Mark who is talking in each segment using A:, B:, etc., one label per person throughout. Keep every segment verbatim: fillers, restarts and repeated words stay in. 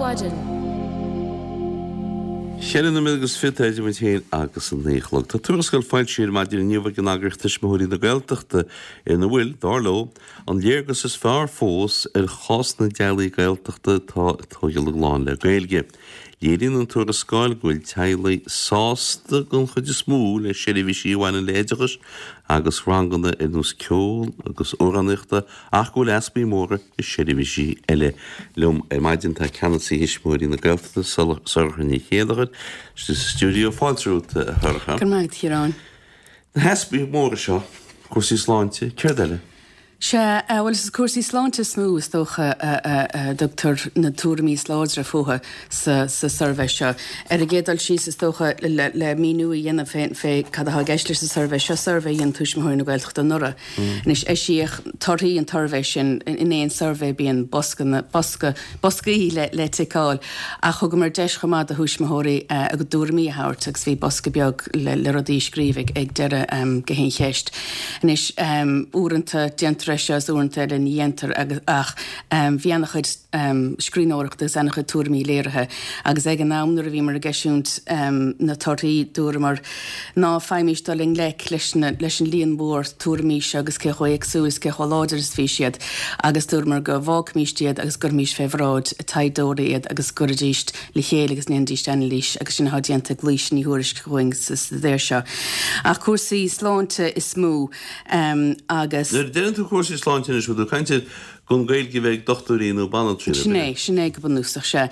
A: Mhaidin.
B: Ceithre nóiméad agus fiche idir muid féin agus a naoi a chlog. Tá tuarascáil foilsithe ar maidin inniu ag an eagraíocht Tuismitheoirí na Gaeltachta ina bhfuil, dar leo, an léargas is fearr fós ar chás na dteaghlaigh Gaeltachta atá ag tógáil a gclann le Gaeilge. Léiríonn an tuarascáil go bhfuil teaghlaigh sásta den chuid is mó le seirbhísí a bhaineann le hoideachas agus ranganna ar nós ceoil agus amhránaíochta ach go bhfuil easpaí móra i seirbhísí eile. Liom ar maidin tá ceannasaí Thuismitheoirí na Gaeltachta, Sorcha Ní Chéilleachair, istigh sa stiúideo. Fáilte romhat, a Shorcha.
C: Go raibh maith agat, a Chiaráin.
B: Na heaspaí móra seo, cúrsaí sláinte, céard eile?
C: Sea, bhuel, is cúrsaí sláinte is mó, is dócha, a dtugtar na tuairimí is láidre fúthu sa suirbhé seo. Ar an gcéad dul síos, is dócha, le míniú a dhéanamh fé cad atá i gceist leis an suirbhé seo, suirbhé a dhein Tuismitheoirí na Gaeltachta anuraidh. Anois, eisíodh torthaí an tsuirbhé sin, in aon suirbhé bíonn bosca, bosca, boscaí le ticeáil, ach thugamar deis chomh maith do thuismitheoirí a dtuairimí a thabhairt agus bhí bosca beag le rudaí a scríobh ag deireadh gach aon cheist. Anois, uaireanta déantar é seo is uaireanta eile ní dhéantar ach bhí ana-chuid scríbhneoireachta agus ana-chuid tuairimí léirithe agus ag an am nuair a bhíomar ag eisiúint na torthaí dúramar ná faighimís dul i ngleic leis na leis an líon mhór tuairimí seo agus cé chomh éagsúil is cé chomh láidir is a bhí siad agus dúramar go bhfágfaimís iad agus go gcuirfimís fé bhráid taighdeoirí iad agus go gcuirfidís le chéile agus ndéanfaidís anailís agus sin atá déanta ag Laoise Ní Thuairisg chugainn sa staidéar seo. Ach cúrsaí sláinte is mó agus.
B: Nuair a deireann tú cúrsaí sláinte anois, bhfuil tú ag caint ar gan Gaeilge a bheith ag dochtúirí nó banaltraí nó
C: Sin é, sin é go bunúsach, sea.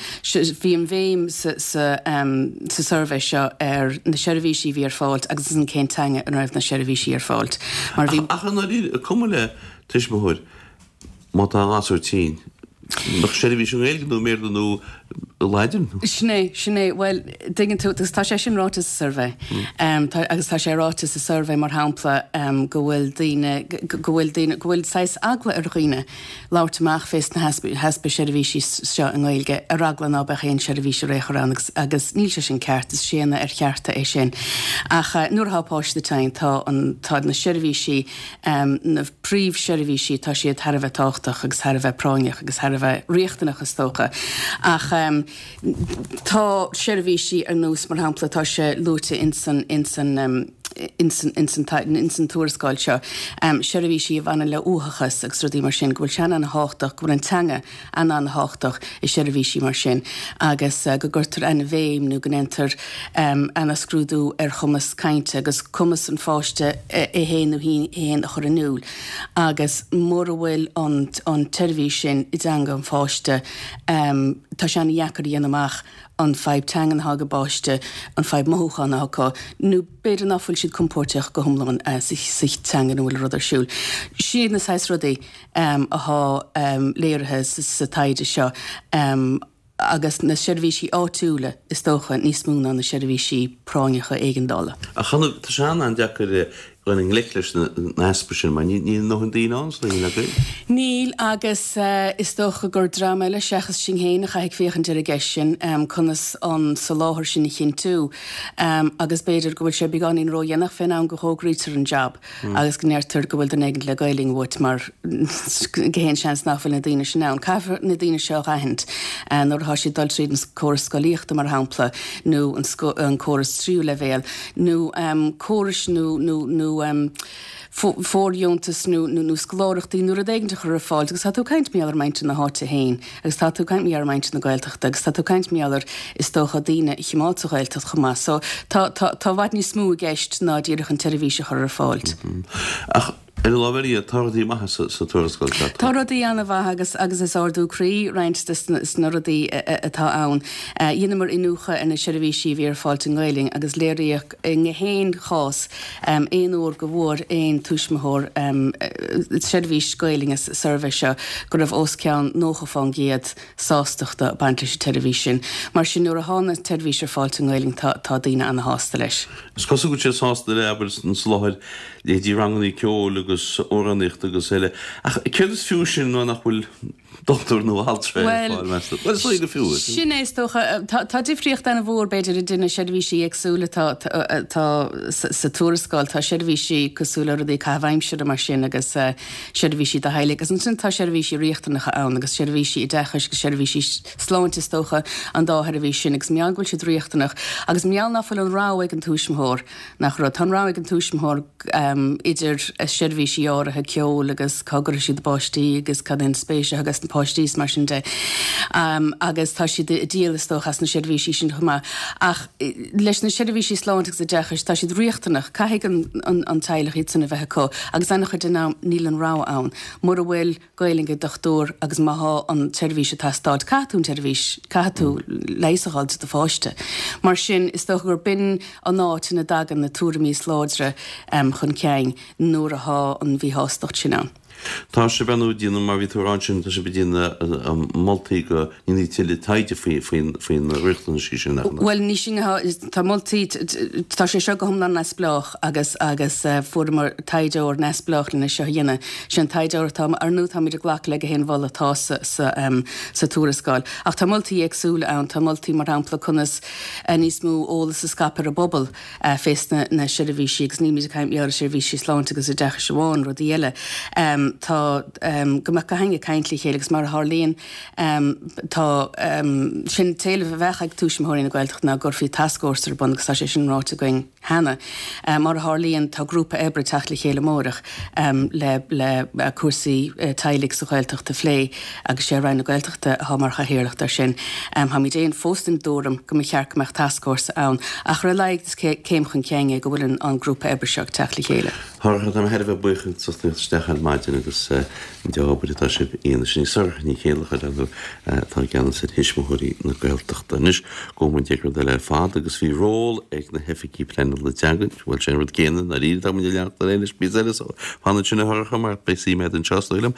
C: Bhí an bhéim sa sa suirbhé seo ar na seirbhísí a bhí ar fáilt agus ansan cén teanga ina raibh na seirbhísí ar fáilt.
B: Mar bhí. Ach i ndáiríre, cuma le tuismitheoir má tá a ngasúr tinn, mbeadh seirbhís i nGaeilge nó i mBéarla nó i Laidin?
C: Sin é, sin é. Bhuel, tuigeann tú, agus tá sé sin ráite sa suirbhé. Tá, agus tá sé ráite sa suirbhé, mar shampla, go bhfuil daoine, go bhfuil daoine, go bhfuil saghas eagla ar dhaoine labhairt amach fés na heaspa seirbhísí seo i nGaeilge, ar eagla ná beadh aon seirbhís ar aon chor ann agus, agus níl sé sin ceart, is séanadh ar chearta é sin. Ach nuair atá páiste tinn, tá an, tá na seirbhísí, na príomhsheirbhísí, tá siad thar a bheith tábhachtach agus thar a bheith práinneach agus thar a bheith riachtanach is dócha. Ach tá seirbhísí ar nós, mar shampla, tá sé luaite insan, insan, insan, insan, insan tuarascáil seo, seirbhísí a bhaineann le uathachas agus rudaí mar sin, go bhfuil sé an-an-thábhachtach, go bhfuil an teanga an-an-thábhachtach i seirbhísí mar sin agus go gcuirtear an-bhéim nó go ndéantar ana-scrúdú ar chumas cainte agus cumas an pháiste é féin nó í féin a chur in iúl agus mura bhfuil an an tseirbhís sin i dteanga an pháiste tá sé ana-dheacair a dhéanamh amach an fadhb teangan atá ag an bpáiste, an fadhb mothúchán atá acu nó b'fhéidir ná fuil siad compóirteach go hiomlán sa teanga ina bhfuil an rud ar siúl. Sin iad na saghas rudaí atá léirithe sa taighde seo agus na seirbhísí áitiúla is dócha níos mó ná na seirbhísí práinneacha éigeandála.
B: Ach tá sé an-an-deacair dul i ngleic leis na heaspa sin mar níl a ndóthain daoine ann sna hIonaid Gaeilge.
C: Níl agus is dócha gur dream eile seachas sinn féin a chaithfidh féachaint ar an gceist sin, conas an soláthar sin a chinntiú agus b'fhéidir go bhfuil sé beagáinín ródhéanach fén am go bhfógraítear an jab agus go ndeirtear go bhfuil duine éigin le Gaelainn uait mar gach aon seans nach bhfuil na daoine sin ann. Caithfear na daoine seo a dh'aithint nuair atá siad ag dul tríd an córas scolaíochta mar shampla nó an córas tríú leibhéal nó córais nó nó nó fóirdheontas nó nó scoláireachtaí nó rud éigin a chur ar fáil agus tá tú ag caint mar gheall ar mhuintir na háite féin agus tá tú ag caint mar gheall ar mhuintir na Gaeltachta agus tá tú ag caint mar gheall ar is dócha daoine a choimeád sa Ghaeltacht chomh maith. So tá tá tá i bhfad níos mó i gceist ná díreach an tseirbhís a chur ar fáil.
B: Ach ar an lámh eile, tá rudaí maithe sa tuarascáil seo.
C: Tá rudaí an-mhaith agus agus is ardú croí roinnt de na rudaí atá ann. Dheineamar iniúchadh ar na seirbhísí a bhí ar fáilt i nGaelainn agus léiríodh i ngach aon chás aon uair go bhfuair aon tuismitheoir seirbhís Gaelainne sa suirbhé seo go raibh os cionn nócha fán gcéad sástachta ag baint leis an tseirbhís sin. Mar sin nuair atá an tseirbhís ar fáilt i nGaelainn tá tá daoine ana-shásta leis.
B: Is cosúil go bhfuil siad sásta le, abair, an soláthar leithéidí ranganna ceoil agus amhránaíochta agus eile. Ach céard is fiú sin nuair nach bhfuil dochtúir nó altra ar fáil, meas tú? Bhuel, is dóigh go fiú.
C: Sin é is dócha. Tá tá difríocht an-mhór b'fhéidir idir na seirbhísí éagsúla atá atá sa tuarascáil. Tá seirbhísí cosúil le rudaí caitheamh aimsire mar sin agus seirbhísí do theaghlaigh agus ansin tá seirbhísí riachtanacha ann agus seirbhísí oideachais agus seirbhísí sláinte is dócha an dá sheirbhís sin agus mar gheall go bhfuil siad riachtanach agus mar gheall ná fuil an rogha ag an tuismitheoir nach rud. Tá an rogha ag an tuismitheoir idir seirbhísí áirithe ceoil agus cá gcuirfidh siad a bpáistí agus cad é an spéis atá ages na páistí is mar sin de. Agus tá siad ag díol is dócha as na seirbhísí sin chomh maith. Ach leis na seirbhísí sláinte agus oideachais tá siad riachtanach, caithfidh an an teaghlach iad sin a bheith acu agus an-chuid den am níl an rogha ann. Mura bhfuil Gaelainn ag dochtúir agus má thá an tseirbhís ag teastáil, caithfidh tú an tseirbhís, caithfidh tú leigheas a fháil do do pháiste. Mar sin, is dócha gur b'in an áit ina dtagann na tuairimí is láidre chun cinn nuair athá an mhíshástacht sin ann.
B: Tá sibh ar ndóigh ag déanamh, mar bhí tú a rá ansin, tá sibh ag déanamh moltaí go ndéanfaí tuilleadh taighde faoi na riachtanaisí sin, nach ea?
C: Bhuel, ní sin atá, tá moltaí, tá sé seo go hiomlán neamhspleách agus agus fuaireamar taighdeoir neamhspleách lena seo a dhéanamh. Sin taighdeoir atá, ar ndóigh táimid ag glacadh le gach aon mholadh atá sa sa sa tuarascáil. Ach tá moltaí éagsúla ann, tá moltaí mar shampla conas níos mó eolas a scaipeadh ar an bpobal fés na na seirbhísí agus nílimid ag caint ar seirbhísí sláinte agus oideachais amháin, rudaí eile. Tá go mbeadh gach éinne ag caint le chéile agus mar a tharlaíonn tá sin t-éileamh a bheadh ag Tuismitheoirí na Gaeltachta ná go gcuirfí tascfhórsa ar bun agus tá sé sin ráite againn cheana. Mar a tharlaíonn tá grúpa oibre ag teacht le chéile amárach le le cúrsaí teaghlaigh sa Ghaeltacht a phlé agus sé Roinn na Gaeltachta atá mar chathaoirleacht air sin. Táimid féin fós den dtuairim go mba cheart go mbeadh tascfhórsa ann ach ar a laghad is céim chun cinn é go bhfuil an grúpa oibre seo ag teacht le chéile.
B: Sorcha, tá mé thar a bheith buíoch as ucht teacht isteach ar maidin agus an dea-obair atá sibh a dhéanamh. Sin í Sorcha Ní Chéilleachair, ar ndóigh, atá i gceannas ar Thuismitheoirí na Gaeltachta. Anois, gabhfaidh muid ag rud eile ar fad agus bhí ról ag na hoifigí pleanála teanga, bhuel, sé an rud céanna, i ndáiríre, tá muid ag leanacht ar aghaidh leis píosa eile, so fan ansin a Shorcha mar beidh suim agat anseo, is dóigh liom.